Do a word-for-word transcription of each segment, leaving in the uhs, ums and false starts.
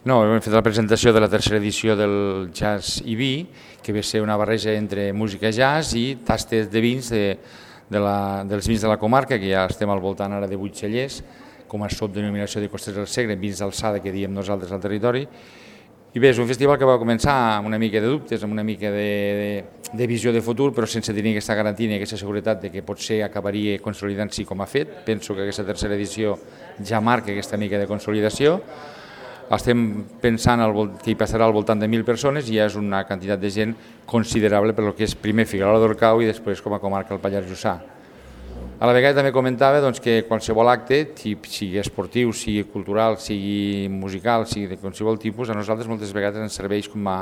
No, hem fet la presentació de la tercera edició del Jazz i Vi, que ve a ser una barreja entre música jazz i tastes de vins de, de la, dels vins de la comarca, que ja estem al voltant ara de vuit cellers, com a subdenominació de Costers del Segre, vins d'alçada que diem nosaltres al territori. I bé, és un festival que va començar amb una mica de dubtes, amb una mica de, de, de visió de futur, però sense tenir aquesta garantia ni aquesta seguretat de que potser acabaria consolidant-s'hi com ha fet. Penso que aquesta tercera edició ja marca aquesta mica de consolidació. Estem pensant que hi passarà al voltant de mil persones i ja és una quantitat de gent considerable per el que és primer Figuerola d'Orcau i després com a comarca el Pallars Jussà. A la vegada també comentava doncs, que qualsevol acte, sigui esportiu, sigui cultural, sigui musical, sigui de qualsevol tipus, a nosaltres moltes vegades ens serveix com a,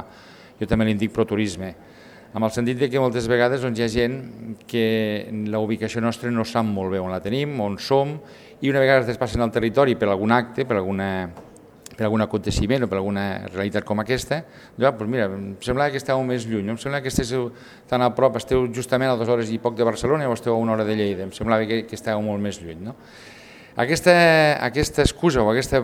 jo també li dic, proturisme, amb el sentit que moltes vegades doncs, hi ha gent que la ubicació nostra no sap molt bé on la tenim, on som, i una vegada es despassen al territori per algun acte, per alguna per algun aconteciment o per alguna realitat com aquesta, doncs mira, em sembla que esteu més lluny, em sembla que esteu tan a prop, esteu justament a dues hores i poc de Barcelona o esteu a una hora de Lleida, em semblava que, que esteu molt més lluny. No? Aquesta, aquesta excusa o aquesta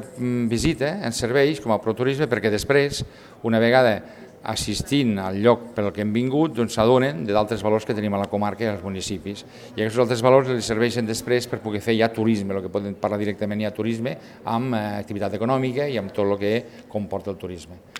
visita ens serveix com a proturisme perquè després, una vegada assistint al lloc per al que hem vingut, doncs s'adonen d'altres valors que tenim a la comarca i als municipis. I aquests altres valors els serveixen després per poder fer ja turisme, el que podem parlar directament ja turisme, amb activitat econòmica i amb tot el que comporta el turisme.